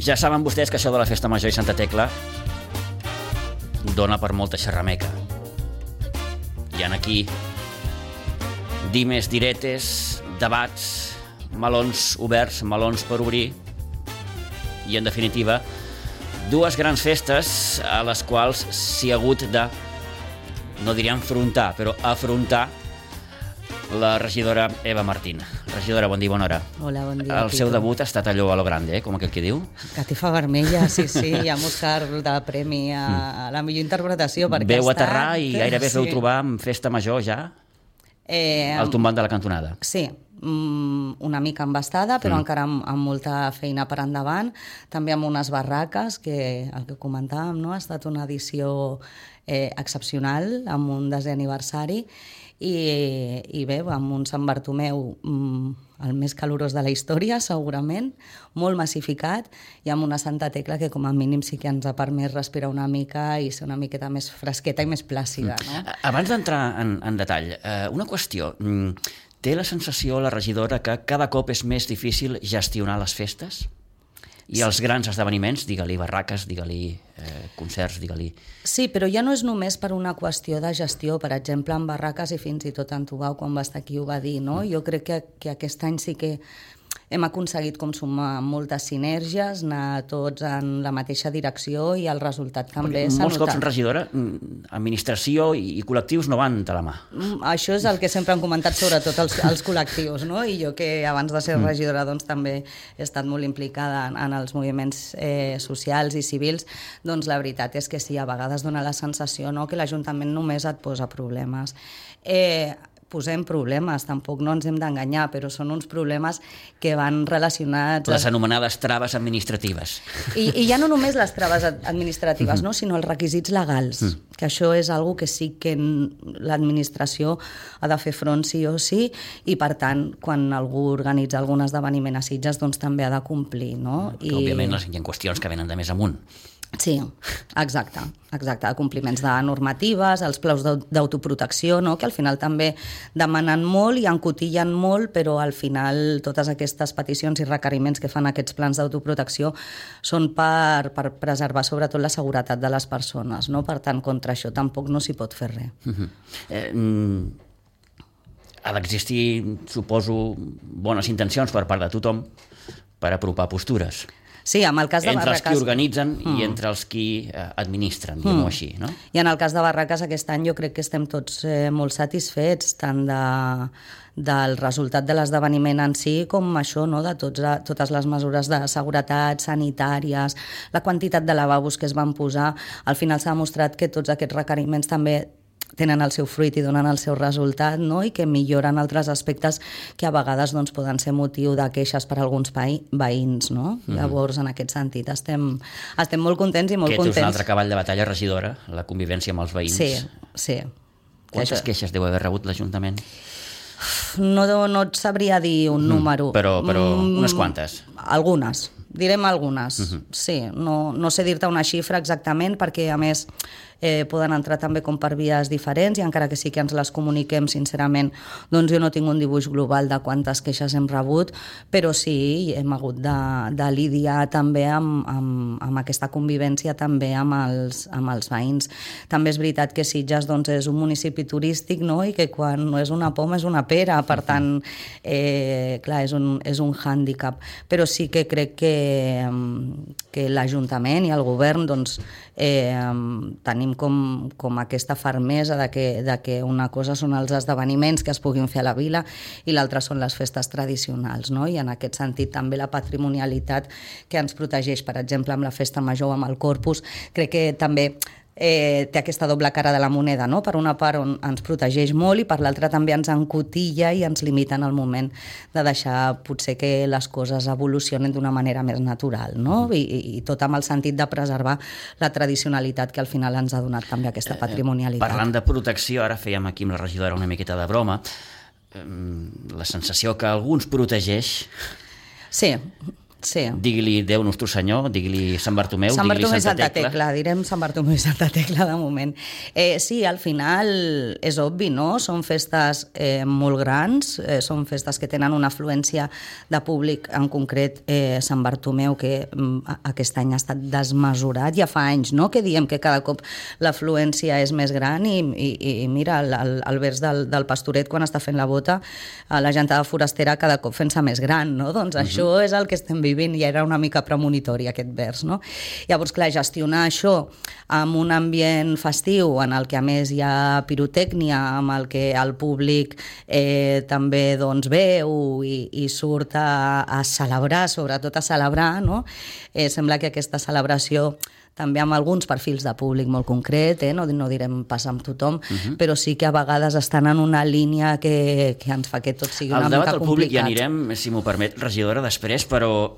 Ja saben vostès que això de la Festa Major i Santa Tecla dona per molta xerrameca. Hi ha aquí dimes, diretes, debats, melons oberts, melons per obrir i, en definitiva, dues grans festes a les quals s'hi ha hagut de, no diria enfrontar, però afrontar la regidora Eva Martín. Regidora, bon dia, bona hora. Hola, bon dia. El seu debut ha estat allò a lo grande, com aquell que diu? Catifa vermella, sí, i amb Òscar de premi a la millor interpretació. Veu aterrar i gairebé es veu trobar amb Festa Major ja al tombant de la cantonada. Sí, una mica embastada, però encara amb molta feina per endavant. També amb unes barraques, que el que comentàvem, no? Ha estat una edició excepcional, amb un 10è aniversari, i bé, amb un Sant Bartomeu el més calorós de la història, segurament, molt massificat, i amb una Santa Tecla que com a mínim sí que ens ha permès respirar una mica i ser una miqueta més fresqueta i més plàcida. No? Abans d'entrar en detall, una qüestió. Té la sensació, la regidora, que cada cop és més difícil gestionar les festes? I els grans esdeveniments, digue-li barraques, digue-li concerts, digue-li... Sí, però ja no és només per una qüestió de gestió. Per exemple, en barraques, i fins i tot en Tubau, quan va estar aquí, ho va dir, no? Jo crec que aquest any sí que hem aconseguit com sumar moltes sinergies, anar tots en la mateixa direcció i el resultat també s'ha notat. Molts cops, regidora, administració i col·lectius no van de la mà. Això és el que sempre han comentat, sobretot els col·lectius, no? I jo que abans de ser regidora doncs, també he estat molt implicada en els moviments socials i civils, doncs la veritat és que sí, a vegades dona la sensació, no?, que l'Ajuntament només et posa problemes. Posem problemes, tampoc no ens hem d'enganyar, però són uns problemes que van relacionats... Les anomenades traves administratives. I ja no només les traves administratives, no? Sinó els requisits legals, que això és una que sí que l'administració ha de fer front sí o sí, i per tant, quan algú organitza algun esdeveniment a Sitges, doncs també ha de complir, no? Que, òbviament, hi ha qüestions que venen de més amunt. Sí, exacte, compliments de normatives, els plaus d'autoprotecció, no? Que al final també demanen molt i encotillen molt, però al final totes aquestes peticions i requeriments que fan aquests plans d'autoprotecció són per preservar sobretot la seguretat de les persones, no? Per tant, contra això tampoc no s'hi pot fer res. Ha d'existir, suposo, bones intencions per part de tothom per apropar postures. Sí, amb el cas de entre barraques... els qui organitzen i entre els qui administren, diguem-ho així, no? I en el cas de barraques aquest any jo crec que estem tots molt satisfets, tant del resultat de l'esdeveniment en si com això, no?, de totes les mesures de seguretat, sanitàries, la quantitat de lavabos que es van posar. Al final s'ha demostrat que tots aquests requeriments també tenen el seu fruit i donen el seu resultat, no?, i que milloren altres aspectes que a vegades doncs, poden ser motiu de queixes per a alguns veïns, no? Llavors, en aquest sentit, estem molt contents i molt contents. Aquest és un altre cavall de batalla, regidora, la convivència amb els veïns. Sí. Quantes queixes deu haver rebut l'Ajuntament? No et sabria dir un número. Però unes quantes? Algunes. Direm algunes, sí. No sé dir-te una xifra exactament perquè, a més, poden entrar també com per vies diferents i encara que sí que ens les comuniquem, sincerament, doncs jo no tinc un dibuix global de quantes queixes hem rebut, però sí, hem hagut de lidiar també amb aquesta convivència també amb els veïns. També és veritat que Sitges doncs, és un municipi turístic, no?, i que quan no és una poma és una pera, per tant, clar, és un hàndicap. Però sí que crec que l'Ajuntament i el govern doncs, tenim com aquesta fermesa de que una cosa són els esdeveniments que es puguin fer a la vila i l'altra són les festes tradicionals, no? I en aquest sentit també la patrimonialitat que ens protegeix, per exemple, amb la Festa Major, amb el Corpus, crec que també té aquesta doble cara de la moneda, no? Per una part on ens protegeix molt i per l'altra també ens encotilla i ens limita en el moment de deixar potser que les coses evolucionen d'una manera més natural, no? I tot amb el sentit de preservar la tradicionalitat que al final ens ha donat també aquesta patrimonialitat. Parlant de protecció, ara fèiem aquí amb la regidora una miqueta de broma, la sensació que algú ens protegeix... Sí, Sí. Digui-li Déu Nostre Senyor, digui-li Sant Bartomeu, Sant digui-li Bartomeu i Santa Santa Tecla, direm Sant Bartomeu i Santa Tecla de moment. Sí, al final és obvi, no? Són festes molt grans, són festes que tenen una afluència de públic, en concret Sant Bartomeu, que aquest any ha estat desmesurat. Ja fa anys, no?, que diem que cada cop l'afluència és més gran i mira, el vers del Pastoret, quan està fent la bota, la gentada forastera cada cop fent-se més gran, no? Doncs això és el que estem vivint, i era una mica premonitori aquest vers, no? Llavors, clar, gestionar això amb un ambient festiu en el que a més hi ha pirotècnia, amb el que el públic també doncs veu i surt a celebrar, sobretot a celebrar, no? Sembla que aquesta celebració també amb alguns perfils de públic molt concret, no direm pas amb tothom, però sí que a vegades estan en una línia que ens fa que tot sigui una mica complicat. Al debat del públic ja anirem, si m'ho permet, regidora, després, però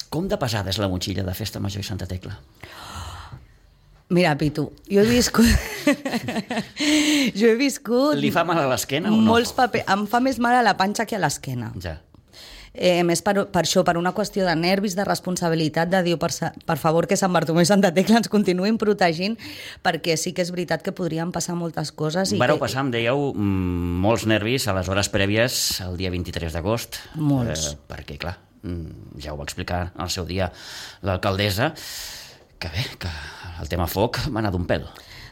com de pesada és la motxilla de Festa Major i Santa Tecla? Mira, Pitu, jo he viscut... Li fa mal a l'esquena o no? Molts papers. Em fa més mal a la panxa que a l'esquena. Ja. Més per això, per una qüestió de nervis, de responsabilitat, de dir, per favor, que Sant Bartomeu i Santa Tecla ens continuïn protegint, perquè sí que és veritat que podrien passar moltes coses. Vareu passar, em dèieu, molts nervis a les hores prèvies el dia 23 d'agost. Molts. Perquè, clar, ja ho va explicar al seu dia l'alcaldessa, que bé, que el tema foc va anar d'un pèl.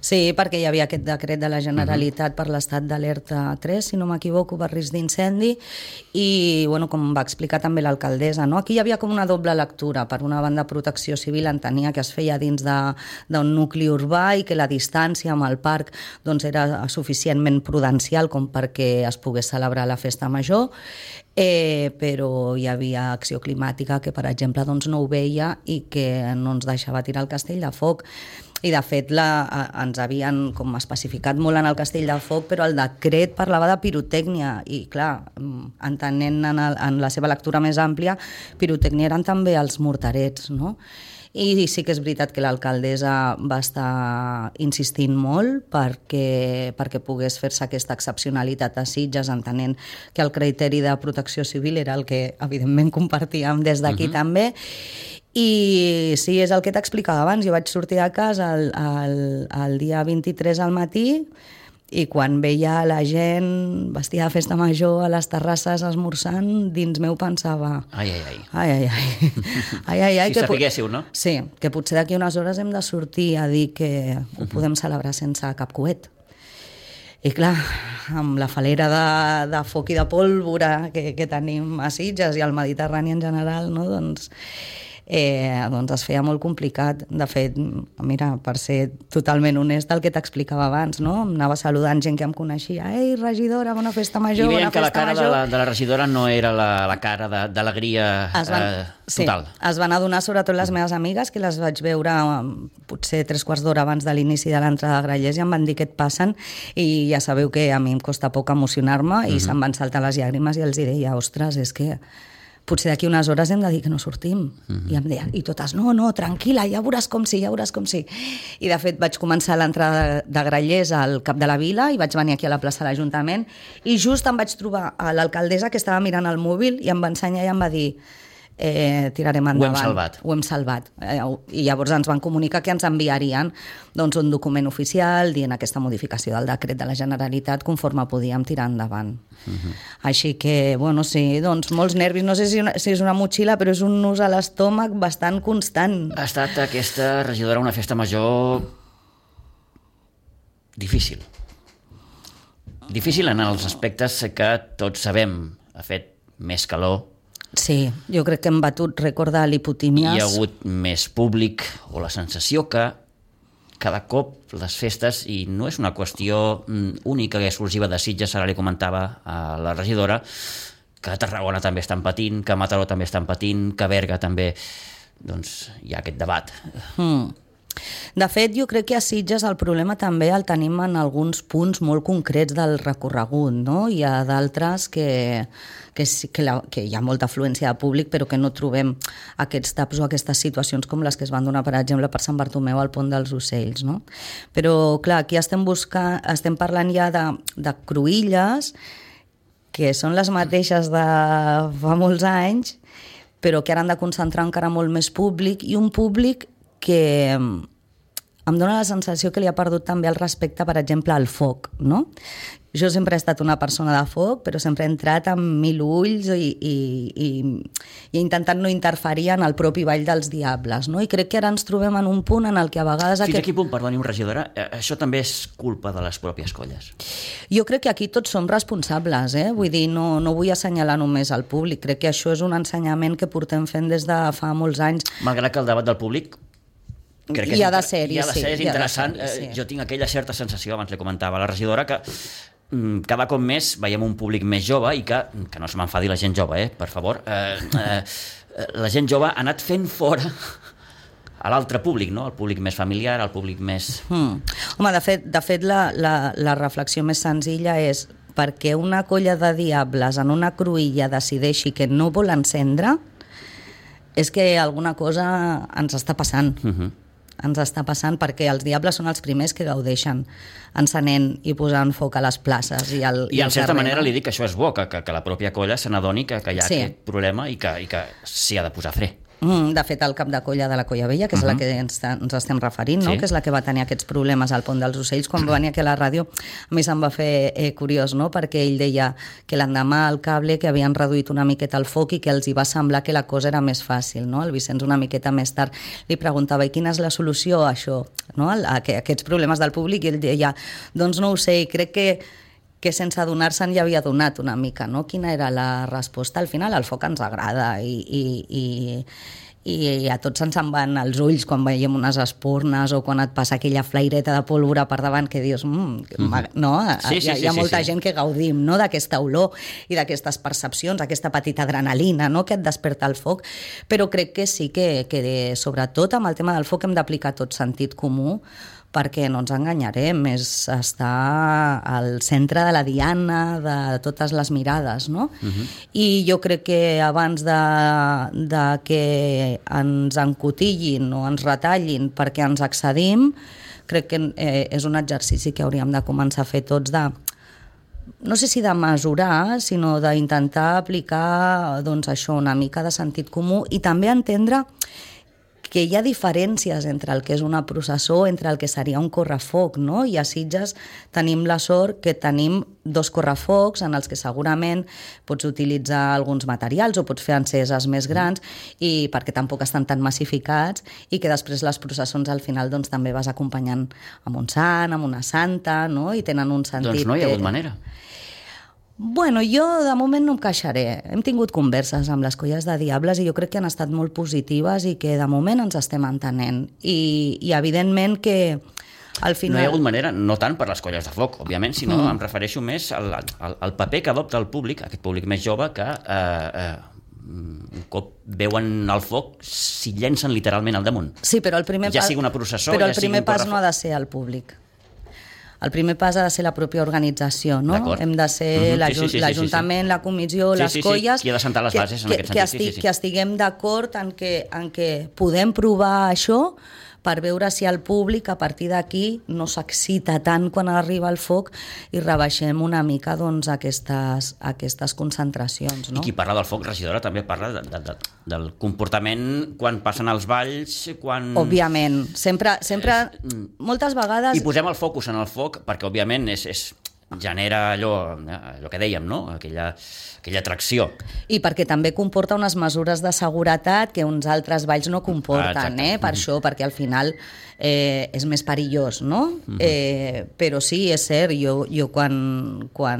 Sí, perquè hi havia aquest decret de la Generalitat per l'estat d'alerta 3, si no m'equivoco, per risc d'incendi, i, bueno, com va explicar també l'alcaldessa, no? Aquí hi havia com una doble lectura. Per una banda, Protecció Civil entenia que es feia dins d'un nucli urbà i que la distància amb el parc doncs, era suficientment prudencial com perquè es pogués celebrar la festa major, però hi havia acció climàtica que, per exemple, doncs, no ho veia i que no ens deixava tirar el castell de foc. I, de fet, ens havien com especificat molt en el Castell de Foc, però el decret parlava de pirotècnia i, clar, entenent en la seva lectura més àmplia, pirotècnia eren també els morterets, no? I sí que és veritat que l'alcaldessa va estar insistint molt perquè pogués fer-se aquesta excepcionalitat a Sitges, entenent que el criteri de protecció civil era el que, evidentment, compartíem des d'aquí també. I sí, és el que t'explicava abans. Jo vaig sortir a casa el dia 23 al matí i quan veia la gent vestida de festa major a les terrasses esmorzant, dins meu pensava... Ai, ai, ai. Ai, ai, ai. Ai, ai, ai. Si sapiguéssiu, no? Sí, que potser d'aquí unes hores hem de sortir a dir que ho podem celebrar sense cap coet. I clar, amb la falera de foc i de pólvora que tenim a Sitges i al Mediterrani en general, no? Doncs es feia molt complicat. De fet, mira, per ser totalment honest, el que t'explicava abans, no? Em anava saludant gent que em coneixia. Ei, regidora, bona festa major, bona festa major. I veiem que la cara de la regidora no era la cara d'alegria total. Sí, es van adonar sobretot les meves amigues, que les vaig veure potser 3/4 d'hora abans de l'inici de l'entrada de Grallers i em van dir què et passen, i ja sabeu que a mi em costa poc emocionar-me i se'm van saltar les llàgrimes i els deia, ostres, és que potser d'aquí unes hores hem de dir que no sortim. I em deien, i totes, no, tranquil·la, ja veuràs com sí, ja veuràs com sí. I, de fet, vaig començar l'entrada de Grallers al cap de la vila i vaig venir aquí a la plaça de l'Ajuntament i just em vaig trobar a l'alcaldessa que estava mirant el mòbil i em va ensenyar i em va dir tirarem endavant. Ho hem salvat. I llavors ens van comunicar que ens enviarien doncs, un document oficial dient aquesta modificació del decret de la Generalitat conforme podíem tirar endavant. Així que, bueno, sí, doncs molts nervis. No sé si és una motxilla, però és un nus a l'estómac bastant constant. Ha estat aquesta regidora una festa major difícil. Difícil en els aspectes que tots sabem. Ha fet més calor. Sí, jo crec que hem batut rècord de lipotímies. Hi ha hagut més públic, o la sensació que cada cop les festes, i no és una qüestió única i exclusiva de Sitges, ara li comentava a la regidora, que a Tarragona també estan patint, que a Mataró també estan patint, que a Berga també, doncs hi ha aquest debat. De fet, jo crec que a Sitges el problema també el tenim en alguns punts molt concrets del recorregut, no? Hi ha d'altres que hi ha molta afluència de públic, però que no trobem aquests taps o aquestes situacions com les que es van donar, per exemple, per Sant Bartomeu al Pont dels Ocells, no? Però, clar, aquí estem parlant ja de cruïlles, que són les mateixes de fa molts anys, però que ara han de concentrar encara molt més públic, i un públic que em dóna la sensació que li ha perdut també el respecte, per exemple, al foc, no? Jo sempre he estat una persona de foc, però sempre he entrat amb 1000 ulls i he intentat no interferir en el propi Ball dels Diables, no? I crec que ara ens trobem en un punt en el que a vegades... Fins a quin punt, perdoni, regidora, això també és culpa de les pròpies colles? Jo crec que aquí tots som responsables, vull dir, no vull assenyalar només al públic, crec que això és un ensenyament que portem fent des de fa molts anys. Malgrat que el debat del públic crec que hi ha de ser, és interessant. Jo tinc aquella certa sensació, abans li comentava a la regidora, que cada cop més veiem un públic més jove i que no se m'enfadi la gent jove, per favor. La gent jove ha anat fent fora a l'altre públic, no? El públic més familiar, el públic més... Home, de fet la reflexió més senzilla és perquè una colla de diables en una cruïlla decideixi que no vol encendre, és que alguna cosa ens està passant. Ens està passant perquè els diables són els primers que gaudeixen encenent i posant foc a les places i en certa manera li dic que això és bo, que la pròpia colla se n'adoni que hi ha aquest problema i que s'hi ha de posar fre. De fet, el cap de colla de la Colla Vella, que és la que ens estem referint, no? Que és la que va tenir aquests problemes al Pont dels Ocells, quan va venir aquí a la ràdio, a mi se'm va fer curiós, no? Perquè ell deia que l'endemà al cable que havien reduït una miqueta el foc i que els hi va semblar que la cosa era més fàcil, no? El Vicenç una miqueta més tard li preguntava i quina és la solució a això, no? A aquests problemes del públic, i ell deia, doncs no ho sé, i crec que sense adonar-se'n ja havia donat una mica, no? Quina era la resposta? Al final el foc ens agrada i a tots ens en van els ulls quan veiem unes espurnes o quan et passa aquella flaireta de pólvora per davant que dius, no? Hi ha molta gent que gaudim, no? D'aquesta olor i d'aquestes percepcions, aquesta petita adrenalina, no? Que et desperta el foc, però crec que sí que sobretot amb el tema del foc hem d'aplicar tot sentit comú, perquè no ens enganyarem, és estar al centre de la diana de totes les mirades, no? I jo crec que abans de que ens encotillin o ens retallin perquè ens excedim, crec que és un exercici que hauríem de començar a fer tots no sé si de mesurar, sinó d'intentar aplicar doncs, això, una mica de sentit comú i també entendre que hi ha diferències entre el que és una processó, entre el que seria un correfoc, no? I a Sitges tenim la sort que tenim 2 correfocs en els que segurament pots utilitzar alguns materials o pots fer enceses més grans i perquè tampoc estan tan massificats i que després les processons al final doncs, també vas acompanyant amb un sant, amb una santa, no? I tenen un sentit... Doncs no hi ha hagut manera. Bueno, jo de moment no em queixaré. Hem tingut converses amb les colles de diables i jo crec que han estat molt positives i que de moment ens estem entenent. I evidentment que al final... No hi ha hagut manera, no tant per les colles de foc, òbviament, sinó em refereixo més al paper que adopta el públic, aquest públic més jove, que un cop veuen el foc s'hi llencen literalment al damunt. Sí, però el primer ja sigui una processó, però ja el primer pas no ha de ser el públic. El primer pas ha de ser la pròpia organització, no? Hem de ser l'Ajuntament, la comissió, les colles... Qui ha de sentar les bases en aquest sentit. Que estiguem d'acord en que podem provar això per veure si el públic a partir d'aquí no s'excita tant quan arriba el foc i rebaixem una mica doncs, aquestes concentracions. No? I qui parla del foc, regidora, també parla del comportament quan passen els balls, quan... Òbviament, sempre moltes vegades... I posem el focus en el foc perquè, òbviament, genera allò que dèiem, no? Aquella atracció. I perquè també comporta unes mesures de seguretat que uns altres balls no comporten, per això, perquè al final és més perillós, no? Però sí, és cert, jo quan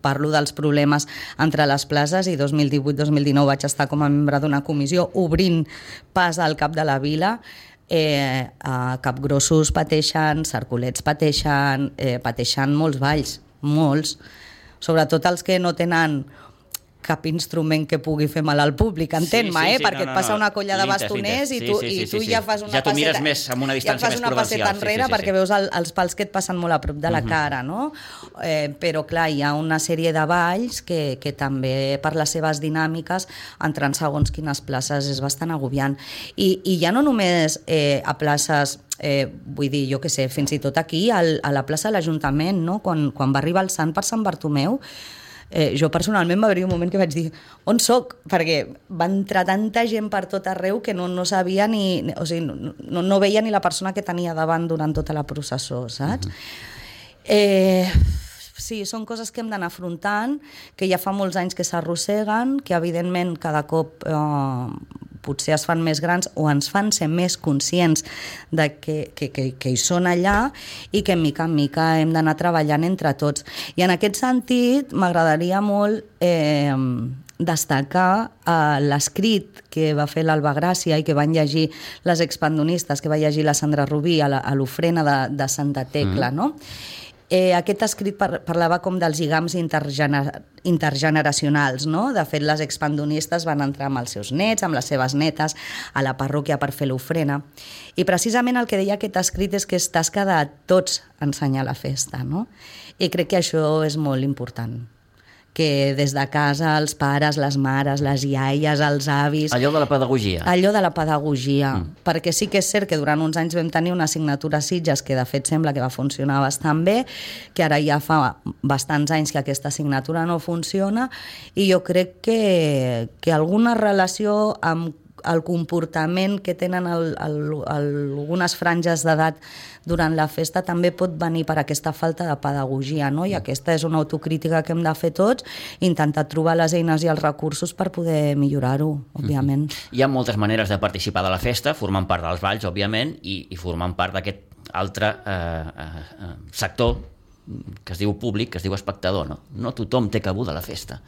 parlo dels problemes entre les places, i 2018-2019 vaig estar com a membre d'una comissió obrint pas al cap de la vila, Capgrossos pateixen, Cercolets pateixen molts balls, molts, sobretot els que no tenen cap instrument que pugui fer mal al públic, entén-me, perquè et passa una colla de bastoners i tu ja fas una passeta... Ja t'ho mires més amb una distància més prudencial. Ja fas una passeta enrere perquè veus els pals que et passen molt a prop de la cara, no? Però, clar, hi ha una sèrie de balls que també, per les seves dinàmiques, entrant segons quines places és bastant agobiant. I ja no només a places... vull dir, jo què sé, fins i tot aquí a la plaça de l'Ajuntament, no? Quan va arribar el sant per Sant Bartomeu, Jo personalment va haver-hi un moment que vaig dir on soc? Perquè va entrar tanta gent per tot arreu que no sabia o sigui, no veia ni la persona que tenia davant durant tota la processó, saps? Sí, són coses que hem d'anar afrontant, que ja fa molts anys que s'arrosseguen, que evidentment cada cop potser es fan més grans o ens fan ser més conscients de que hi són allà i que mica en mica hem d'anar treballant entre tots. I en aquest sentit m'agradaria molt destacar l'escrit que va fer l'Alba Gràcia i que van llegir les expandonistes, que va llegir la Sandra Rubí a l'ofrena de Santa Tecla, no? Aquest escrit parlava com dels lligams intergeneracionals, no? De fet, les expandonistes van entrar amb els seus nets, amb les seves netes, a la parròquia per fer l'ofrena. I precisament el que deia aquest escrit és que és tasca de tots ensenyar la festa, no? I crec que això és molt important, que des de casa els pares, les mares, les iaies, els avis... Allò de la pedagogia. Allò de la pedagogia, perquè sí que és cert que durant uns anys vam tenir una assignatura a Sitges que de fet sembla que va funcionar bastant bé, que ara ja fa bastants anys que aquesta assignatura no funciona, i jo crec que alguna relació amb el comportament que tenen algunes franges d'edat durant la festa també pot venir per aquesta falta de pedagogia, no? I aquesta és una autocrítica que hem de fer tots, intentar trobar les eines i els recursos per poder millorar-ho, òbviament. Hi ha moltes maneres de participar de la festa, formant part dels balls, òbviament, i formant part d'aquest altre sector que es diu públic, que es diu espectador, no? No tothom té cabuda a la festa.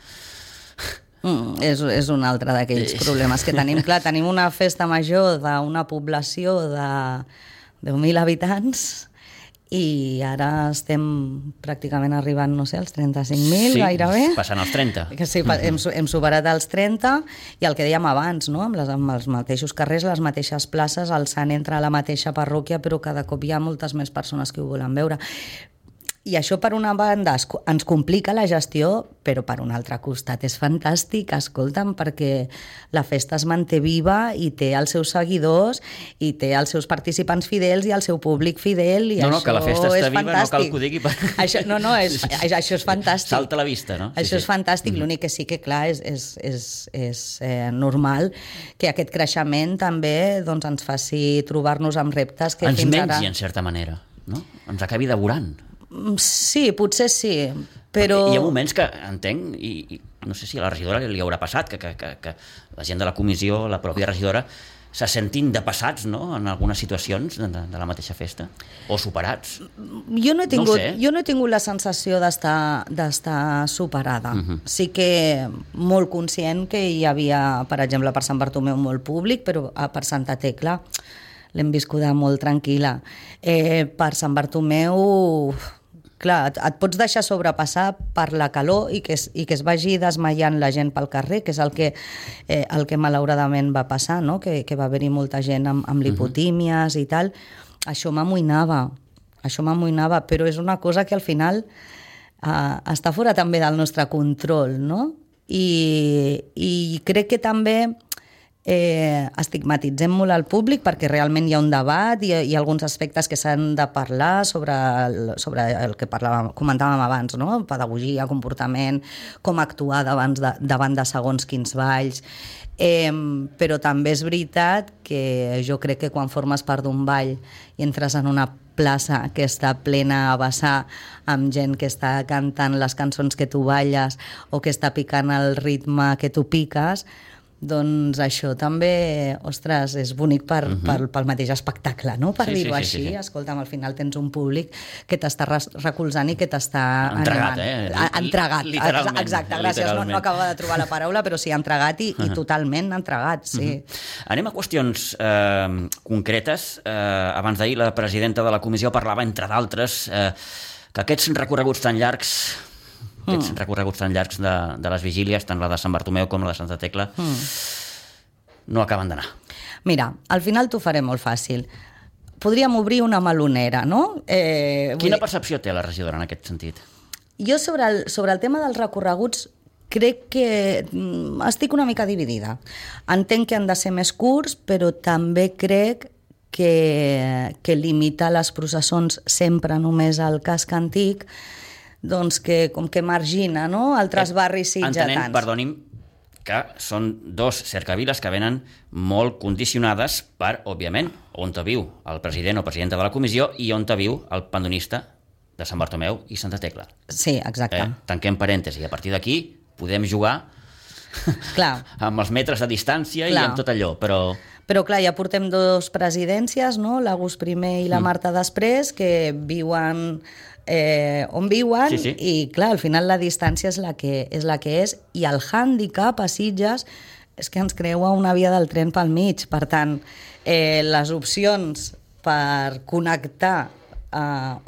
És un altre d'aquells problemes que tenim. Clar, tenim una festa major d'una població de 10.000 habitants i ara estem pràcticament arribant, no sé, als 35.000 gairebé. Sí, passant als 30. Sí, hem superat els 30 i el que dèiem abans, no? Amb els mateixos carrers, les mateixes places, el sant entra a la mateixa parròquia, però cada cop hi ha moltes més persones que ho volen veure. I això, per una banda, ens complica la gestió, però per un altre costat és fantàstic, escolta'm, perquè la festa es manté viva i té els seus seguidors i té els seus participants fidels i el seu públic fidel, i no, que la festa està viva, no cal que ho digui. Això és fantàstic. Salta a la vista, no? Això és fantàstic, l'únic que sí que, clar, és normal que aquest creixement també ens faci trobar-nos amb reptes que fins ara... Ens mengi, en certa manera, no? Ens acabi devorant. Sí, potser sí, però... Hi ha moments que entenc, i no sé si a la regidora li haurà passat, que la gent de la comissió, la pròpia regidora, se sentin depassats, no?, en algunes situacions de la mateixa festa, o superats. Jo no he tingut la sensació d'estar superada. Sí que molt conscient que hi havia, per exemple, per Sant Bartomeu molt públic, però per Santa Tecla l'hem viscuda molt tranquil·la. Per Sant Bartomeu... Clar, et pots deixar sobrepassar per la calor i que es vagi desmaiant la gent pel carrer, que és el que malauradament va passar, no? Que va haver-hi molta gent amb lipotímies i tal. Això m'amoïnava, però és una cosa que al final està fora també del nostre control, no? I crec que també estigmatitzem molt al públic perquè realment hi ha un debat i hi ha alguns aspectes que s'han de parlar sobre el que comentàvem abans, no? Pedagogia, comportament, com actuar davant de segons quins balls, però també és veritat que jo crec que quan formes part d'un ball i entres en una plaça que està plena a vessar amb gent que està cantant les cançons que tu balles o que està picant el ritme que tu piques, doncs això també, ostres, és bonic pel mateix espectacle, no? Per dir-ho així. Escolta'm, al final tens un públic que t'està recolzant i que t'està entregat, animant. Entregat, literalment. Exacte, gràcies. No acaba de trobar la paraula, però sí, entregat i totalment entregat, sí. Anem a qüestions concretes. Abans d'ahir la presidenta de la comissió parlava, entre d'altres, que aquests recorreguts tan llargs de les vigílies, tant la de Sant Bartomeu com la de Santa Tecla, no acaben d'anar. Mira, al final t'ho faré molt fàcil. Podríem obrir una melonera, no? Quina percepció té la regidora en aquest sentit? Jo sobre el tema dels recorreguts crec que estic una mica dividida. Entenc que han de ser més curts, però també crec que limitar les processons sempre només al casc antic doncs que com que margina, no?, altres barris sitgetans. Entenent, perdoni'm, que són dos cercaviles que venen molt condicionades per, òbviament, on viu el president o presidenta de la comissió i on viu el pandonista de Sant Bartomeu i Santa Tecla. Sí, exacte. Tanquem parèntesi. A partir d'aquí podem jugar amb els metres de distància i amb tot allò, però... Però, clar, ja portem dos presidències, no?, l'August primer i la Marta després, que viuen on viuen, i, clar, al final la distància és la que és, i el hàndicap a Sitges és que ens creua una via del tren pel mig. Per tant, les opcions per connectar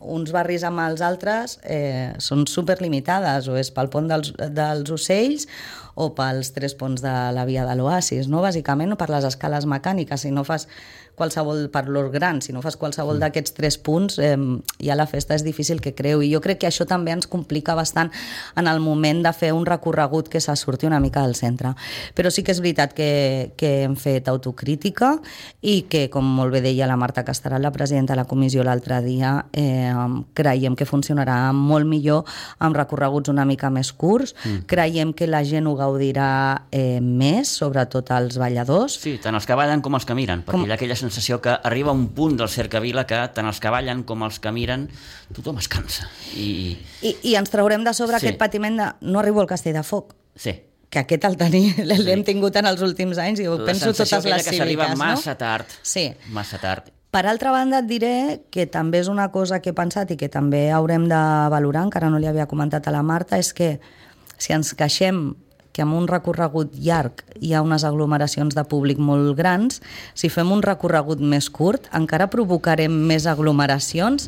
uns barris amb els altres són superlimitades, o és pel pont dels Ocells o pels 3 ponts de la via de l'Oasis, no? Bàsicament, o per les escales mecàniques. Si no fas qualsevol, per l'Or Gran, si no fas qualsevol d'aquests 3 punts, ja la festa és difícil que creu. I jo crec que això també ens complica bastant en el moment de fer un recorregut que se surti una mica del centre. Però sí que és veritat que hem fet autocrítica i que, com molt bé deia la Marta Castarat, la presidenta de la comissió l'altre dia, creiem que funcionarà molt millor amb recorreguts una mica més curts. Creiem que la gent ho gaudirà més, sobretot els balladors. Sí, tant els que ballen com els que miren, perquè hi ha aquella sensació que arriba un punt del cercavila que tant els que ballen com els que miren tothom es cansa. I ens traurem de sobre aquest patiment de no arribo al Castell de Foc. Sí. Que aquest l'hem tingut en els últims anys i ho penso totes les cíviques, no? La sensació que s'arriba massa tard. Sí. Massa tard. Per altra banda, et diré que també és una cosa que he pensat i que també haurem de valorar, encara no li havia comentat a la Marta, és que si ens queixem que amb un recorregut llarg hi ha unes aglomeracions de públic molt grans, si fem un recorregut més curt encara provocarem més aglomeracions,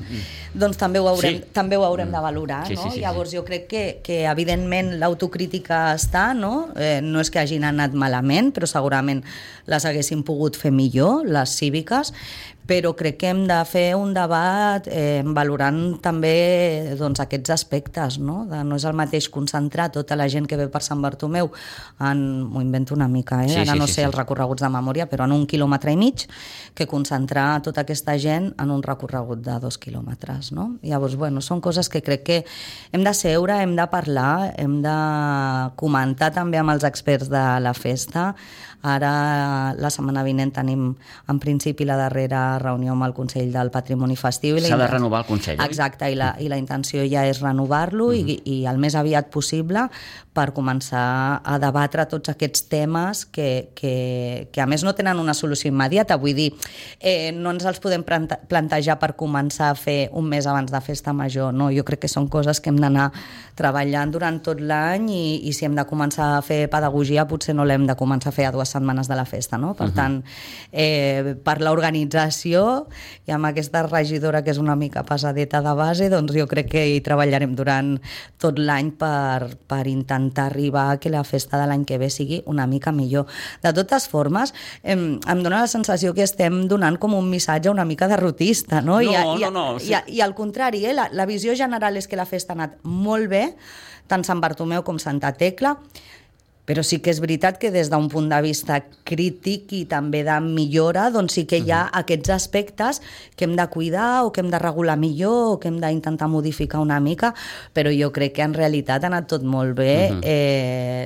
doncs també ho haurem de valorar, no? Llavors jo crec que evidentment l'autocrítica està, no? No és que hagin anat malament, però segurament les haguessin pogut fer millor, les cíviques, però crec que hem de fer un debat valorant també aquests aspectes, no? No és el mateix concentrar tota la gent que ve per Sant Bartomeu m'ho invento una mica, ara no sé els recorreguts de memòria, però en 1,5 quilòmetres, que concentrar tota aquesta gent en un recorregut de 2 quilòmetres, no? Llavors, són coses que crec que hem de seure, hem de parlar, hem de comentar també amb els experts de la festa. Ara, la setmana vinent, tenim en principi la darrera reunió amb el Consell del Patrimoni Festiu. S'ha de renovar el Consell, oi? Exacte, i la intenció ja és renovar-lo i el més aviat possible per començar a debatre tots aquests temes que a més no tenen una solució immediata. Vull dir, no ens els podem plantejar per començar a fer un mes abans de festa major, no? Jo crec que són coses que hem d'anar treballant durant tot l'any i si hem de començar a fer pedagogia potser no l'hem de començar a fer a 2 setmanes de la festa, no? Per tant, per l'organització i amb aquesta regidora que és una mica pesadeta de base, doncs jo crec que hi treballarem durant tot l'any per intentar arribar a que la festa de l'any que ve sigui una mica millor. De totes formes, em dóna la sensació que estem donant com un missatge una mica derrotista, no? No. I al contrari, la visió general és que la festa ha anat molt bé, tant Sant Bartomeu com Santa Tecla, però sí que és veritat que des d'un punt de vista crític i també de millora, doncs sí que hi ha aquests aspectes que hem de cuidar o que hem de regular millor o que hem d'intentar modificar una mica, però jo crec que en realitat ha anat tot molt bé.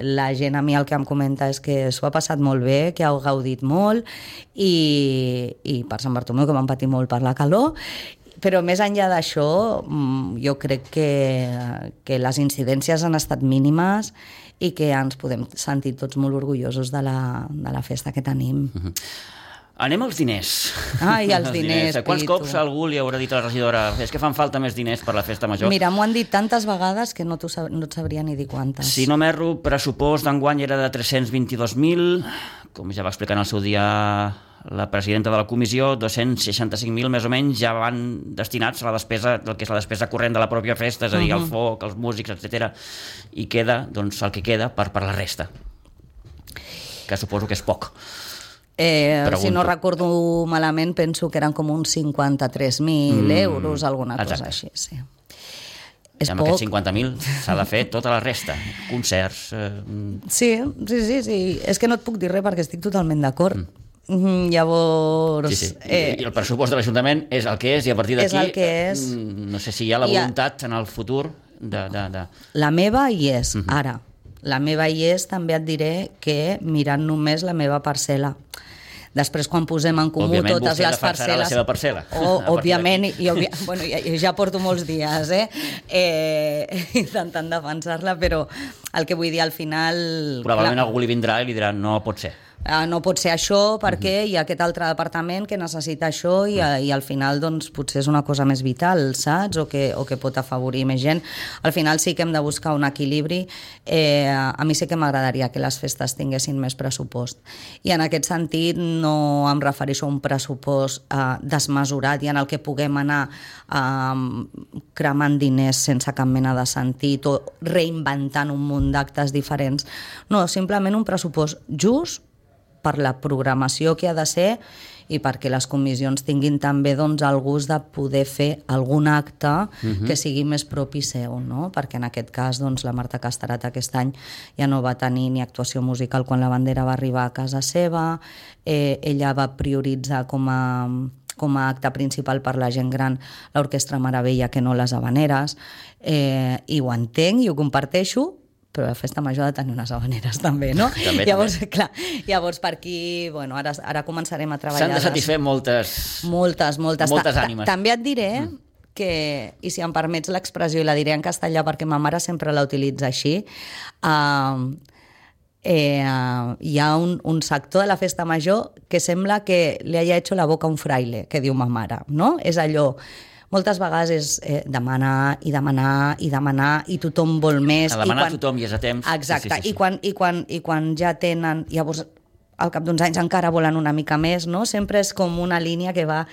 La gent a mi el que em comenta és que s'ho ha passat molt bé, que heu gaudit molt i per Sant Bartomeu que vam patir molt per la calor. Però més enllà d'això, jo crec que les incidències han estat mínimes i que ens podem sentir tots molt orgullosos de la festa que tenim. Anem als diners. Ai, els diners, Quants cops algú li haurà dit a la regidora és que fan falta més diners per la festa major? Mira, m'ho han dit tantes vegades que no et sabria ni dir quantes. Si no m'erro, pressupost d'enguany era de 322.000, com ja va explicar en el seu dia la presidenta de la comissió, 265.000 més o menys ja van destinats a la despesa, del que és la despesa corrent de la pròpia festa, és a dir, el foc, els músics, etc. I queda, doncs, el que queda per la resta, que suposo que és poc. Si no recordo malament, penso que eren com uns 53.000 euros, alguna cosa així, sí. És amb aquests 50.000 s'ha de fer tota la resta, concerts... Sí. És que no et puc dir res perquè estic totalment d'acord. Llavors... Sí. I el pressupost de l'Ajuntament és el que és i a partir d'aquí no sé si hi ha la voluntat en el futur La meva hi és, ara. La meva hi és, també et diré que mirant només la meva parcel·la. Després, quan posem en comú totes les parcel·les... la seva parcel·la. Òbviament, jo ja porto molts dies intentant defensar-la, però el que vull dir al final... Probablement algú li vindrà i li dirà no pot ser. No pot ser això perquè hi ha aquest altre departament que necessita això i al final doncs, potser és una cosa més vital, saps? O que pot afavorir més gent. Al final sí que hem de buscar un equilibri. A mi sí que m'agradaria que les festes tinguessin més pressupost. I en aquest sentit no em refereixo a un pressupost desmesurat i en el que puguem anar cremant diners sense cap mena de sentit o reinventant un munt d'actes diferents. No, simplement un pressupost just per la programació que ha de ser i perquè les comissions tinguin també doncs, el gust de poder fer algun acte que sigui més propi seu, no? Perquè en aquest cas doncs, la Marta Castarat aquest any ja no va tenir ni actuació musical quan la bandera va arribar a casa seva, ella va prioritzar com a acte principal per la gent gran l'Orquestra Meravella que no les habaneres, i ho entenc i ho comparteixo, però la festa major ha de tenir unes habaneres també, no? Llavors per aquí, bueno, ara començarem a treballar... S'han de satisfer moltes ànimes. També et diré que, i si em permets l'expressió, i la diré en castellà perquè ma mare sempre la utilitza així, hi ha un sector de la festa major que sembla que li haya hecho la boca un fraile, que diu ma mare, no? És allò... Moltes vegades és demanar i demanar i demanar i tothom vol més. A demanar tothom i és a temps. Exacte, sí. I quan ja tenen... Llavors, al cap d'uns anys encara volen una mica més, no? Sempre és com una línia que va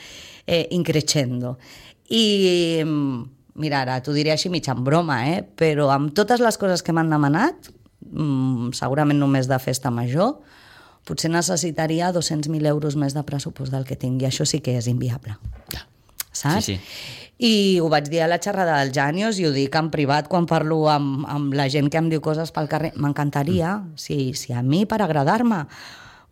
increixendo. I, mira, ara t'ho diré així mig en broma, però amb totes les coses que m'han demanat, segurament només de festa major, potser necessitaria 200.000 euros més de pressupost del que tinc, i això sí que és inviable. Ja. Saps? Sí. I ho vaig dir a la xerrada del Janios i ho dic en privat quan parlo amb la gent que em diu coses pel carrer. M'encantaria, si a mi per agradar-me,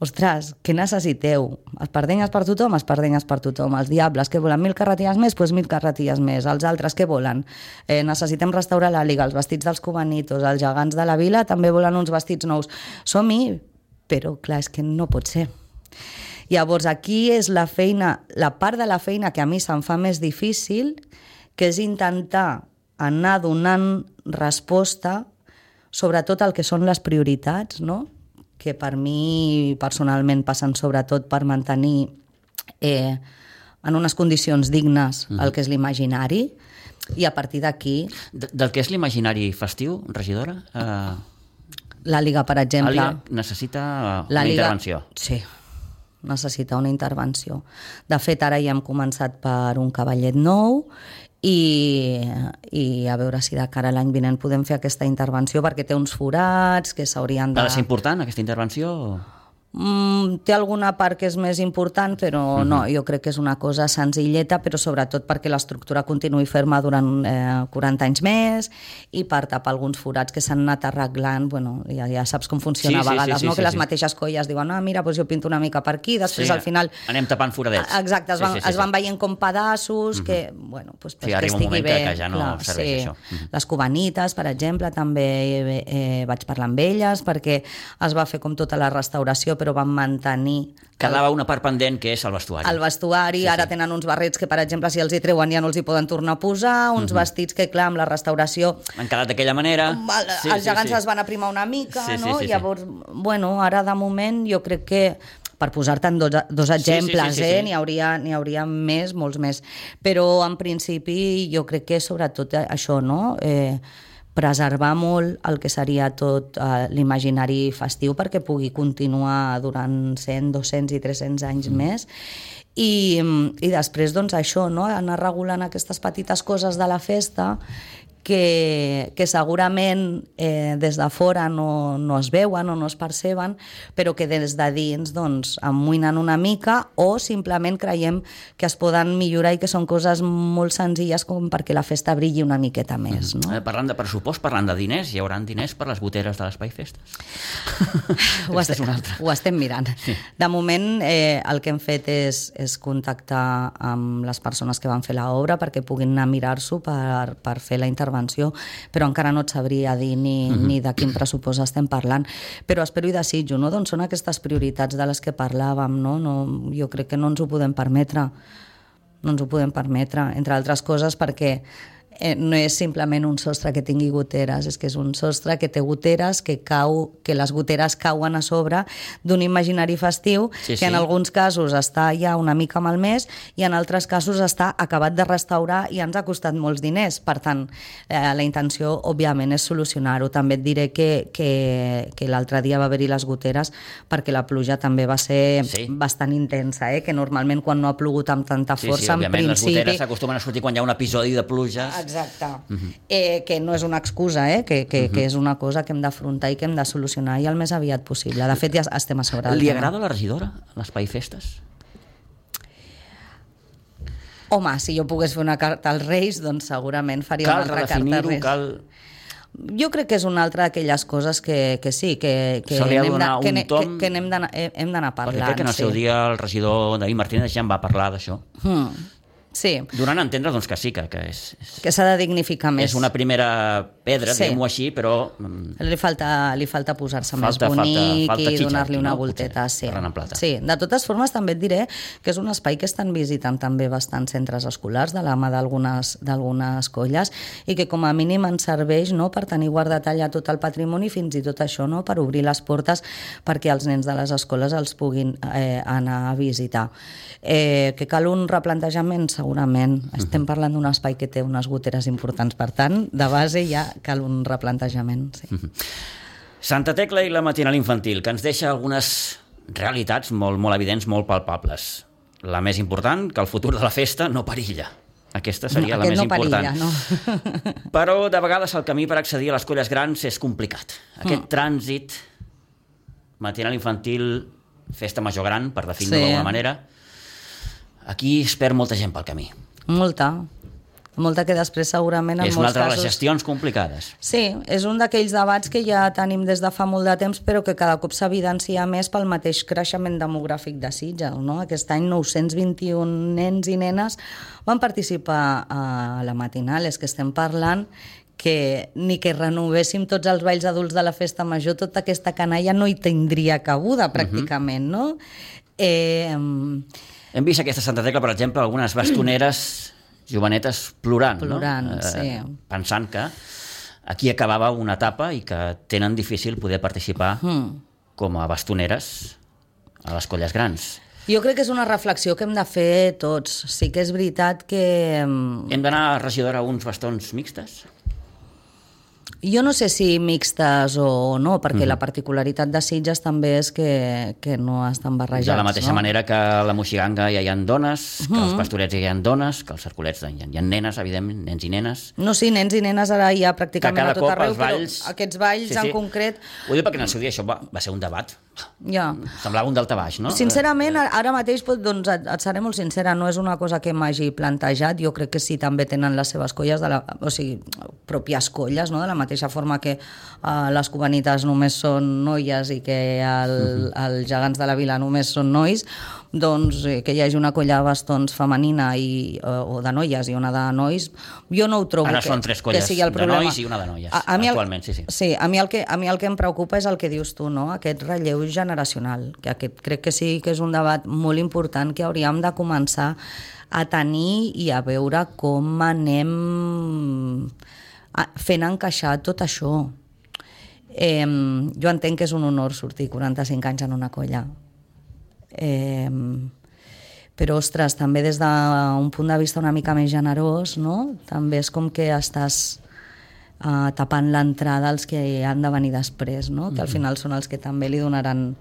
ostres, què necessiteu? Espardenyes per tothom, espardenyes per tothom. Els diables, que volen 1.000 carretilles més? Doncs 1.000 carretilles més. Els altres, què volen? Necessitem restaurar la Liga, els vestits dels cubanitos, els gegants de la vila també volen uns vestits nous. Som-hi, però clar, és que no pot ser. Llavors, aquí és la part de la feina que a mi se'm fa més difícil, que és intentar anar donant resposta sobretot al que són les prioritats, no? Que per mi personalment passen sobretot per mantenir en unes condicions dignes el que és l'imaginari, i a partir d'aquí... Del que és l'imaginari festiu, regidora? La Liga, per exemple. La Liga necessita una intervenció. Sí, necessita una intervenció. De fet, ara ja hem començat per un cavallet nou i a veure si de cara a l'any vinent podem fer aquesta intervenció, perquè té uns forats que s'haurien de... Ha de ser important, aquesta intervenció? Té alguna part que és més important, però no, jo crec que és una cosa senzilleta, però sobretot perquè l'estructura continuï ferma durant 40 anys més i per tapar alguns forats que s'han anat arreglant. Bueno, ja saps com funciona a vegades, no? Que les mateixes colles diuen, mira, doncs jo pinto una mica per aquí, després al final... Anem tapant foradets. Exacte, es van veient com pedaços que, bueno, doncs que estigui bé. Que ja no serveix això. Les cubanites, per exemple, també vaig parlar amb elles perquè es va fer com tota la restauració, però van mantenir... Quedava una part pendent, que és el vestuari. El vestuari, ara tenen uns barrets que, per exemple, si els hi treuen ja no els hi poden tornar a posar, uns vestits que, clar, amb la restauració... Han quedat d'aquella manera. Els gegants es van aprimar una mica, no? Llavors, bueno, ara de moment jo crec que per posar-te'n dos exemples, n'hi hauria més, molts més. Però, en principi, jo crec que sobretot això, no?, preservar molt el que seria tot l'imaginari festiu perquè pugui continuar durant 100, 200 i 300 anys més. I després, doncs, això, no?, anar regulant aquestes petites coses de la festa que segurament des de fora no es veuen o no es perceben, però que des de dins doncs, amoïnen una mica o simplement creiem que es poden millorar i que són coses molt senzilles com perquè la festa brilli una miqueta més. No? Parlant de pressupost, parlant de diners, hi haurà diners per les goteres de l'Espai Festes? Ho estem mirant. Sí. De moment el que hem fet és contactar amb les persones que van fer l'obra perquè puguin anar a mirar-s'ho per fer la intervenció intervenció, però encara no et sabria dir ni de quin pressupost estem parlant. Però espero i desitjo, no? Doncs són aquestes prioritats de les que parlàvem, no? Jo crec que no ens ho podem permetre. No ens ho podem permetre, entre altres coses perquè no és simplement un sostre que tingui goteres, és que és un sostre que té goteres, que les goteres cauen a sobre d'un imaginari festiu, que en alguns casos està ja una mica malmès i en altres casos està acabat de restaurar i ens ha costat molts diners. Per tant, la intenció, òbviament, és solucionar-ho. També et diré que l'altre dia va haver-hi les goteres perquè la pluja també va ser bastant intensa, que normalment quan no ha plogut amb tanta força, en principi... les goteres s'acostumen a sortir quan hi ha un episodi de pluja. Exacte, que no és una excusa, que és una cosa que hem d'afrontar i que hem de solucionar i el més aviat possible. De fet, ja estem a sobre. Li agrada a la regidora l'Espai Festes? Home, si jo pogués fer una carta als Reis, doncs segurament faria una altra carta als Reis. Jo crec que és una altra d'aquelles coses que sí, que hem d'anar parlant. Perquè crec que en el seu dia el regidor David Martínez ja en va parlar d'això. Sí. Donant a entendre doncs, que sí, que que s'ha de dignificar més. És una primera pedra, diguem-ho així, però... Li falta posar-se més bonic i donar-li una volteta. Sí. De totes formes, també et diré que és un espai que estan visitant també bastants centres escolars de la mà d'algunes colles i que com a mínim ens serveix per tenir guardat allà tot el patrimoni, fins i tot això, per obrir les portes perquè els nens de les escoles els puguin anar a visitar. Que cal un replantejament, segurament. Estem parlant d'un espai que té unes goteres importants, per tant, de base ja cal un replantejament. Sí. Santa Tecla i la matinal infantil, que ens deixa algunes realitats molt, molt evidents, molt palpables. La més important, que el futur de la festa no perilla. Aquesta seria la més important. No. Però de vegades el camí per accedir a les colles grans és complicat. Aquest trànsit, matinal infantil, festa major gran, per definir-ho d'alguna manera, aquí es perd molta gent pel camí. Molta que després segurament en molts casos... És una altra de les gestions complicades. Sí, és un d'aquells debats que ja tenim des de fa molt de temps, però que cada cop s'evidencia més pel mateix creixement demogràfic de Sitges, no? Aquest any 921 nens i nenes van participar a la matinal. És que estem parlant que ni que renovéssim tots els balls adults de la festa major, tota aquesta canalla no hi tindria cabuda, pràcticament, no? Hem vist aquesta Santa Tecla, per exemple, algunes bastoneres jovenetes plorant, sí. Pensant que aquí acabava una etapa i que tenen difícil poder participar com a bastoneres a les colles grans. Jo crec que és una reflexió que hem de fer tots. Sí que és veritat que... Hem d'anar, regidora, a uns bastons mixtes? Jo no sé si mixtes o no, perquè la particularitat de Sitges també és que no estan barrejats. De la mateixa manera que a la Moixiganga ja hi ha dones, que als pastorets ja hi ha dones, que als cercolets hi ha nenes, evidentment, nens i nenes. No, sí, nens i nenes ara hi ha pràcticament a tot arreu, balls... però aquests balls en concret... Ho dic perquè en el seu dia això va ser un debat. Ja. Semblava un daltabaix, no? Sincerament, ara mateix, doncs, et seré molt sincera, no és una cosa que m'hagi plantejat. Jo crec que sí, també tenen les seves colles, o sigui, pròpies colles, no? De la mateixa forma que les cubanites només són noies i que els gegants de la vila només són nois, doncs que hi hagi una colla de bastons femenina o de noies i una de nois, jo no ho trobo ara són 3 colles de nois i una de noies, actualment, sí. Sí, a mi el que em preocupa és el que dius tu, no? Aquest relleu generacional, que crec que sí que és un debat molt important que hauríem de començar a tenir i a veure com anem fent encaixar tot això. Jo entenc que és un honor sortir 45 anys en una colla, però ostres, també des d'un punt de vista una mica més generós, no? També és com que estàs tapant l'entrada als que han de venir després, no? Que al final són els que també li donaran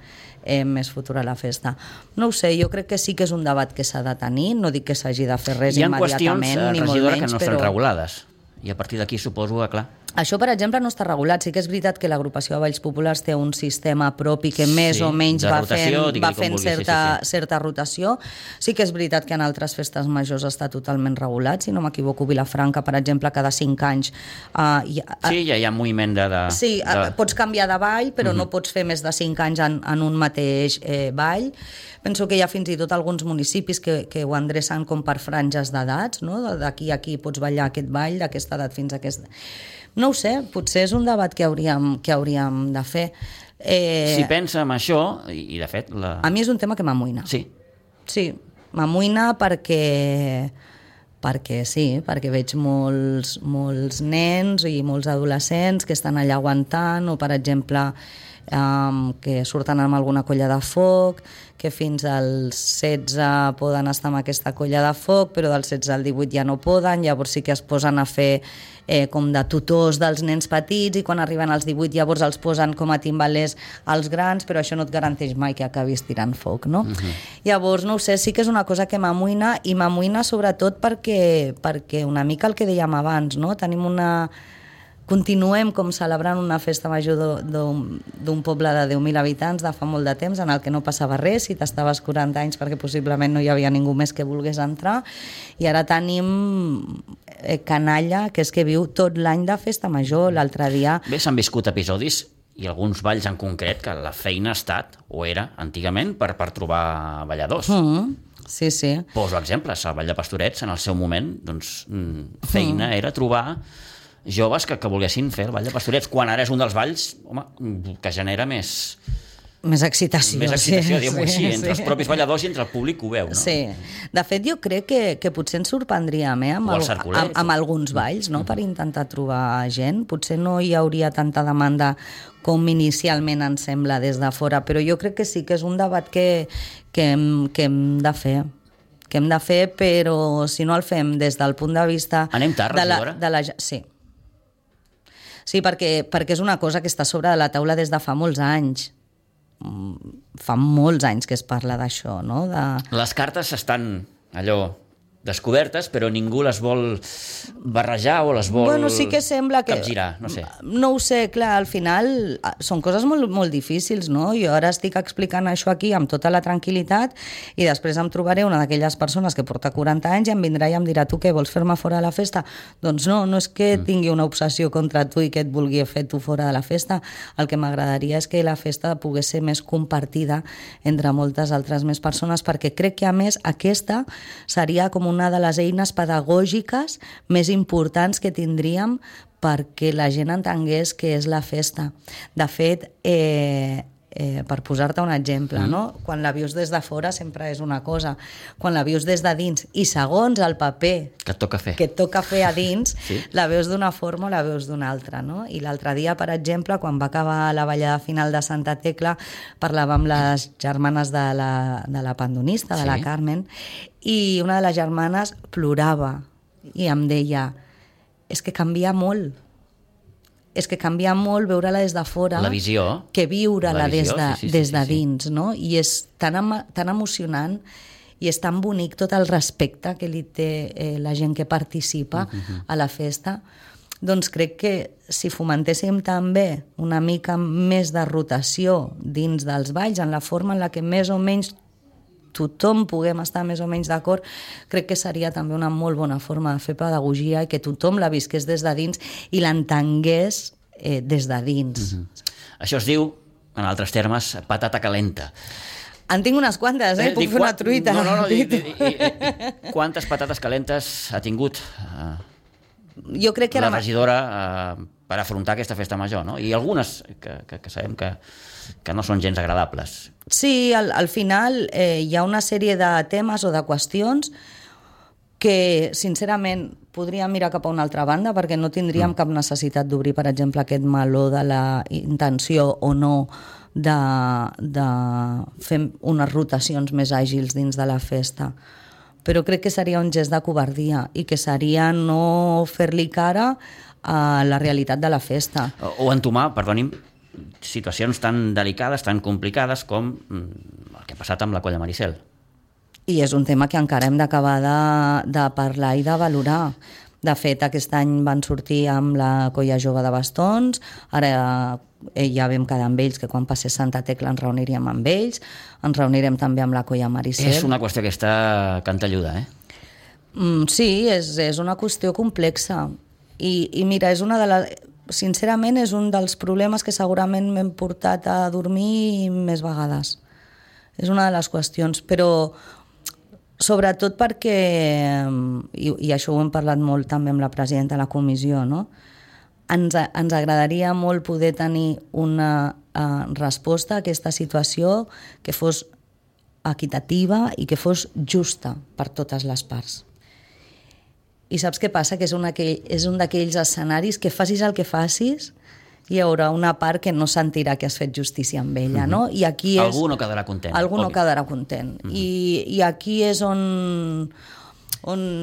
més futur a la festa. No ho sé, jo crec que sí que és un debat que s'ha de tenir, no dic que s'hagi de fer res immediatament, ni molt menys, que no estan regulades. I a partir d'aquí suposo que, clar, Això, per exemple, no està regulat. Sí que és veritat que l'agrupació de Balls Populars té un sistema propi que més o menys va fent certa rotació. Sí que és veritat que en altres festes majors està totalment regulat. Si no m'equivoco, Vilafranca, per exemple, cada 5 anys... Sí, ja hi ha moviment de... Sí, pots canviar de ball, però no pots fer més de 5 anys en un mateix ball. Penso que hi ha fins i tot alguns municipis que ho endrecen com per franges d'edats, no? D'aquí a aquí pots ballar aquest ball, d'aquesta edat fins a aquesta... No ho sé, potser és un debat que hauríem de fer. Si pensa en això, i de fet... A mi és un tema que m'amoïna. Sí. Sí, m'amoïna perquè veig molts nens i molts adolescents que estan allà aguantant, o per exemple que surten amb alguna colla de foc, que fins als 16 poden estar amb aquesta colla de foc, però dels 16 al 18 ja no poden, llavors sí que es posen a fer com de tutors dels nens petits, i quan arriben als 18 llavors els posen com a timbalers als grans, però això no et garanteix mai que acabis tirant foc, no? Llavors, no ho sé, sí que és una cosa que m'amoïna, i m'amoïna sobretot perquè una mica el que dèiem abans, no? Continuem com celebrant una festa major d'un poble de 10.000 habitants de fa molt de temps, en el que no passava res si t'estaves 40 anys, perquè possiblement no hi havia ningú més que volgués entrar, i ara tenim canalla que és que viu tot l'any de festa major. L'altre dia... Bé, s'han viscut episodis, i alguns balls en concret, que la feina ha estat, o era antigament, per trobar balladors. Sí, sí. Poso exemples, el Ball de Pastorets, en el seu moment, doncs, feina era trobar joves que volguessin fer el Ball de Pastorets, quan ara és un dels balls, home, que genera més excitació. Més excitació, diguem-ho així, entre els propis balladors i entre el públic que ho veu, no? Sí. De fet, jo crec que potser ens sorprendríem amb alguns balls, no? Per intentar trobar gent. Potser no hi hauria tanta demanda com inicialment ens sembla des de fora, però jo crec que sí que és un debat que hem de fer. Que hem de fer, però si no el fem des del punt de vista... Anem tard, regidora? Sí. Sí, perquè és una cosa que està sobre de la taula des de fa molts anys. Fa molts anys que es parla d'això, no? Les cartes estan allò descobertes, però ningú les vol barrejar o les vol sí que sembla que capgirar, no sé. No ho sé, clar, al final són coses molt, molt difícils, no? Jo ara estic explicant això aquí amb tota la tranquil·litat, i després em trobaré una d'aquelles persones que porta 40 anys i em vindrà i em dirà: tu què, vols fer-me fora de la festa? Doncs no és que tingui una obsessió contra tu i que et vulgui fer tu fora de la festa. El que m'agradaria és que la festa pogués ser més compartida entre moltes altres més persones, perquè crec que a més aquesta seria com una de les eines pedagògiques més importants que tindríem perquè la gent entengués què és la festa. De fet, per posar-te un exemple, no? Quan la vius des de fora sempre és una cosa, quan la vius des de dins i segons el paper que et toca fer a dins, sí. La veus d'una forma o la veus d'una altra, no? I l'altre dia, per exemple, quan va acabar la ballada final de Santa Tecla, parlava amb les germanes de la pandonista, de la Carmen, i una de les germanes plorava i em deia: és que canvia molt. És que canvia molt veure-la des de fora, la visió, que viure-la des de dins, no? I és tan emocionant i és tan bonic tot el respecte que li té la gent que participa a la festa. Doncs crec que si fomentéssim també una mica més de rotació dins dels balls, en la forma en la que més o menys tothom puguem estar més o menys d'acord, crec que seria també una molt bona forma de fer pedagogia i que tothom la visqués des de dins i l'entengués des de dins. Això es diu, en altres termes, patata calenta. En tinc unes quantes, puc fer una truita. No. Quantes patates calentes ha tingut jo crec que la regidora per afrontar aquesta festa major, no? I algunes que sabem que no són gens agradables. Sí, al final hi ha una sèrie de temes o de qüestions que, sincerament, podríem mirar cap a una altra banda, perquè no tindríem cap necessitat d'obrir, per exemple, aquest meló de la intenció o no de fer unes rotacions més àgils dins de la festa. Però crec que seria un gest de covardia i que seria no fer-li cara a la realitat de la festa. O entomar, perdoni'm, situacions tan delicades, tan complicades com el que ha passat amb la colla Maricel. I és un tema que encara hem d'acabar de parlar i de valorar. De fet, aquest any van sortir amb la Colla Jove de Bastons, ara ja vam quedar amb ells, que quan passés Santa Tecla ens reuniríem amb ells, ens reunirem també amb la Colla Maricel. És una qüestió que està cantelluda, Sí, és una qüestió complexa. I mira, sincerament és un dels problemes que segurament m'hem portat a dormir més vegades. És una de les qüestions, però sobretot perquè, i això ho hem parlat molt també amb la presidenta de la comissió, no? Ens agradaria molt poder tenir una resposta a aquesta situació que fos equitativa i que fos justa per totes les parts. I saps què passa? Que és un d'aquells escenaris que facis el que facis, hi haurà una part que no sentirà que has fet justícia amb ella, no? I aquí algú no quedarà content. Algú no quedarà content. I aquí és on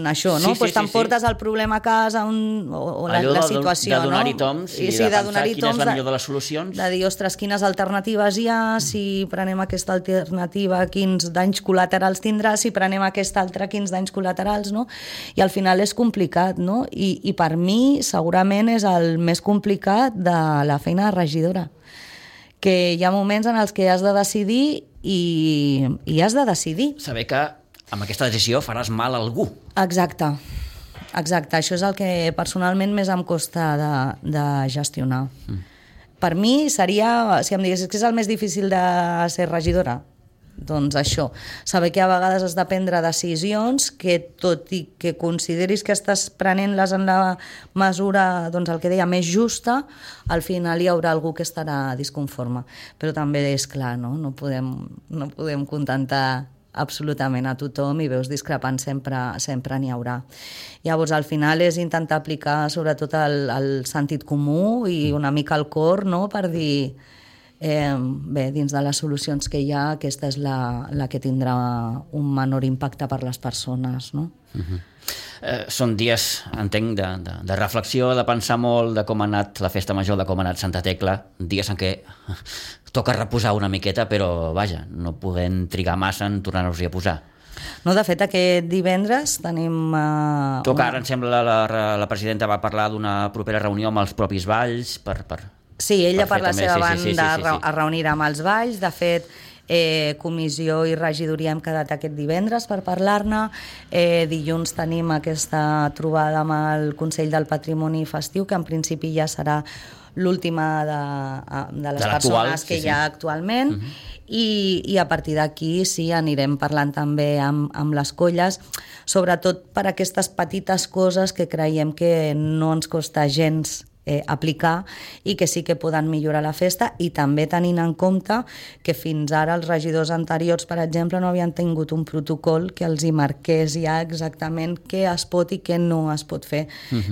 això, no? Sí, t'emportes el problema a casa o la situació, no? De donar-hi toms i de pensar quina és la millor de les solucions. De dir, ostres, quines alternatives hi ha, si prenem aquesta alternativa, quins danys col·laterals tindrà, si prenem aquesta altra, quins danys col·laterals, no? I al final és complicat, no? I per mi segurament és el més complicat de la feina de regidora, que hi ha moments en els que has de decidir i has de decidir. Saber que amb aquesta decisió faràs mal a algú. Exacte. Això és el que personalment més em costa de gestionar. Per mi seria, si em diguessis que és el més difícil de ser regidora, doncs això, saber que a vegades has de prendre decisions que tot i que consideris que estàs prenent-les en la mesura, doncs el que deia, més justa, al final hi haurà algú que estarà disconforme. Però també és clar, no? No podem contentar absolutament a tothom, i veus discrepants sempre n'hi haurà. Llavors, al final és intentar aplicar sobretot el sentit comú i una mica el cor, no?, per dir, bé, dins de les solucions que hi ha, aquesta és la que tindrà un menor impacte per les persones, no? Són dies, entenc, de reflexió, de pensar molt de com ha anat la festa major, de com ha anat Santa Tecla, dies en què toca reposar una miqueta, però vaja, no podem trigar massa en tornar-nos-hi a posar. No, de fet, aquest divendres tenim... Toca, ara em sembla, la presidenta va parlar d'una propera reunió amb els propis balls Sí, ella per la seva banda es reunirà amb els balls. De fet, comissió i regidoria hem quedat aquest divendres per parlar-ne. Dilluns tenim aquesta trobada amb el Consell del Patrimoni Festiu, que en principi ja serà l'última de les persones que hi ha actualment. I a partir d'aquí sí, anirem parlant també amb les colles, sobretot per aquestes petites coses que creiem que no ens costa gens aplicar i que sí que poden millorar la festa, i també tenint en compte que fins ara els regidors anteriors, per exemple, no havien tingut un protocol que els hi marqués ja exactament què es pot i què no es pot fer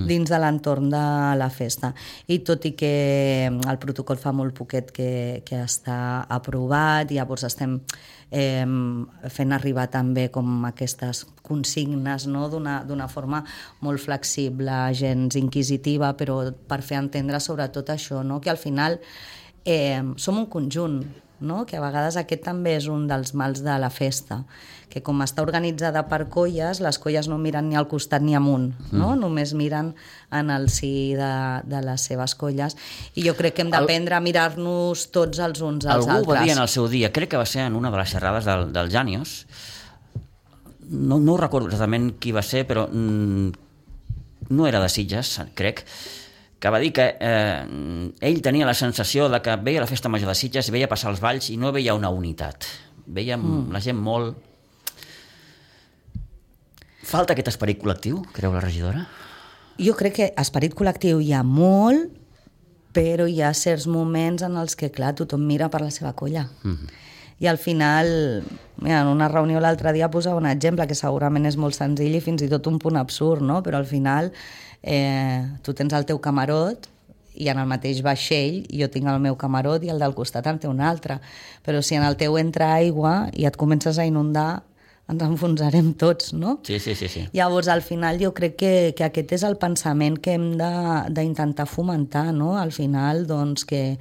dins de l'entorn de la festa. I tot i que el protocol fa molt poquet que està aprovat, llavors estem fent arribar també com aquestes consignes, no?, d'una forma molt flexible, gens inquisitiva, però per fer entendre sobretot això, no?, que al final som un conjunt, no?, que a vegades aquest també és un dels mals de la festa, que com està organitzada per colles, les colles no miren ni al costat ni amunt, no? Només miren en el si de les seves colles, i jo crec que hem d'aprendre a mirar-nos tots els uns als altres. Algú va dir en el seu dia, crec que va ser en una de les xerrades del Jànios, no ho recordo exactament qui va ser, però no era de Sitges, crec, que va dir que ell tenia la sensació de que veia la festa major de Sitges, veia passar els balls i no veia una unitat. Veia la gent molt... Falta aquest esperit col·lectiu, creu la regidora? Jo crec que esperit col·lectiu hi ha molt, però hi ha certs moments en els que, clar, tothom mira per la seva colla. I al final, mira, en una reunió l'altre dia posava un exemple que segurament és molt senzill i fins i tot un punt absurd, no? Però al final tu tens el teu camarot i en el mateix vaixell jo tinc el meu camarot i el del costat en té un altre. Però si en el teu entra aigua i et comences a inundar, ens enfonsarem tots, no? Sí. Llavors, al final, jo crec que aquest és el pensament que hem d'intentar fomentar, no? Al final, doncs, que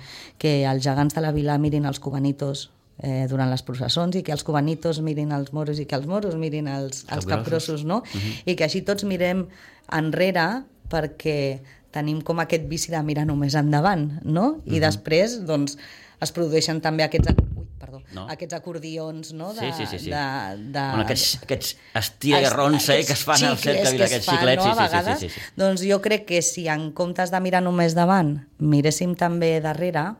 els gegants de la vila mirin els cubanitos durant les processons, i que els cubanitos mirin els moros i que els moros mirin els capgrossos, no? I que així tots mirem enrere perquè tenim com aquest vici de mirar només endavant, no? I després, doncs, es produeixen també aquests acordions, no? Aquests estira i arronsa que es fan al cercle, aquests xiclets. Sí. Doncs jo crec que si en comptes de mirar només davant miréssim també darrere,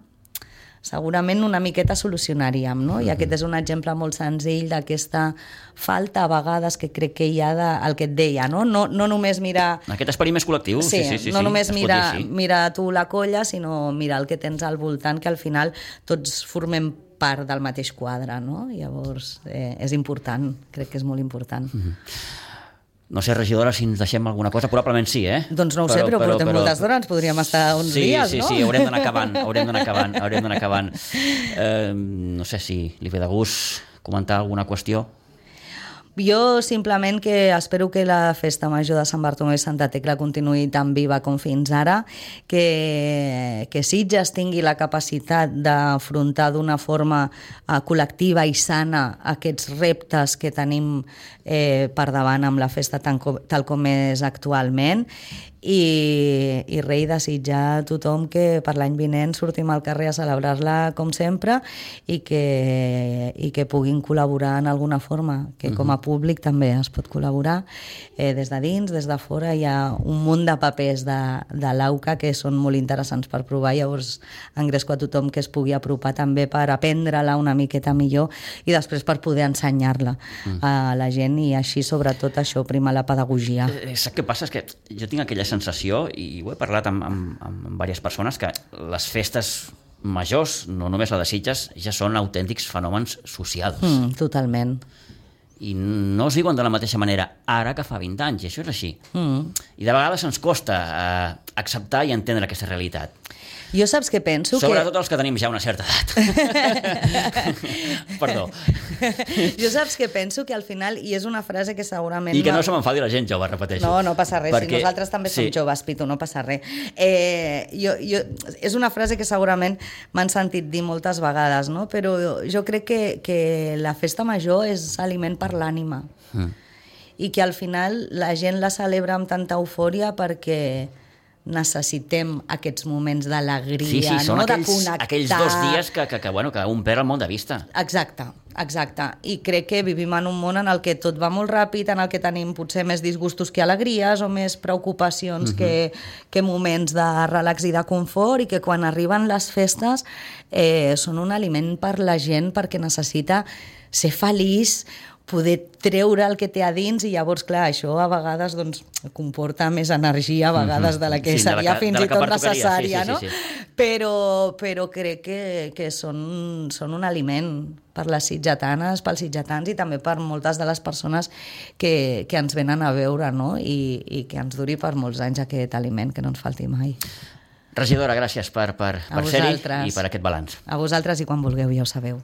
segurament una miqueta solucionaríem, no? I aquest és un exemple molt senzill d'aquesta falta a vegades que crec que hi ha el que et deia, no? No només mirar... Aquest esperit més col·lectiu. Sí, no només mirar tu la colla, sinó mirar el que tens al voltant, que al final tots formem part del mateix quadre, no? Llavors, és important, crec que és molt important. No sé, regidora, si ens deixem alguna cosa, probablement sí, eh? Doncs no ho sé, però portem moltes d'hores, ens podríem estar uns dies, no? Sí, haurem d'anar acabant. No sé si li ve de gust comentar alguna qüestió. Jo simplement que espero que la festa major de Sant Bartomeu i Santa Tecla continuï tan viva com fins ara, que Sitges tingui la capacitat d'afrontar d'una forma col·lectiva i sana aquests reptes que tenim per davant amb la festa tal com és actualment, i rei desitjar a tothom que per l'any vinent sortim al carrer a celebrar-la com sempre i que puguin col·laborar en alguna forma, que com a públic també es pot col·laborar des de dins, des de fora. Hi ha un munt de papers de l'AUCA que són molt interessants per provar, llavors engresco a tothom que es pugui apropar també per aprendre-la una miqueta millor i després per poder ensenyar-la a la gent, i així sobretot això, primar la pedagogia. Saps què passa? És que jo tinc aquella sensació, i ho he parlat amb diverses persones, que les festes majors, no només la de Sitges, ja són autèntics fenòmens socials. Totalment. I no es viuen de la mateixa manera ara que fa 20 anys, i això és així. I de vegades ens costa acceptar i entendre aquesta realitat. Jo saps què penso? Sobretot els que tenim ja una certa edat. Perdó. Jo saps què penso? Que al final, i és una frase que segurament... I que no se m'enfadi la gent jove, repeteixo. No passa res, si nosaltres també som joves, Pitu, no passa res. És una frase que segurament m'han sentit dir moltes vegades, no? Però jo crec que la festa major és aliment per l'ànima. I que al final la gent la celebra amb tanta eufòria perquè necessitem aquests moments d'alegria, són no? De connectar. Aquells 2 dies que un perd el món de vista. Exacte. I crec que vivim en un món en el que tot va molt ràpid, en el que tenim potser més disgustos que alegries o més preocupacions que moments de relax i de confort, i que quan arriben les festes són un aliment per la gent perquè necessita ser feliç, poder treure el que té a dins, i llavors, clar, això a vegades doncs, comporta més energia a vegades de la que seria fins i tot necessària, no? Però crec que són un aliment per les sitgetanes, pels sitgetans i també per moltes de les persones que ens venen a veure, no? I que ens duri per molts anys aquest aliment, que no ens falti mai. Regidora, gràcies per ser-hi i per aquest balanç. A vosaltres, i quan vulgueu, ja ho sabeu.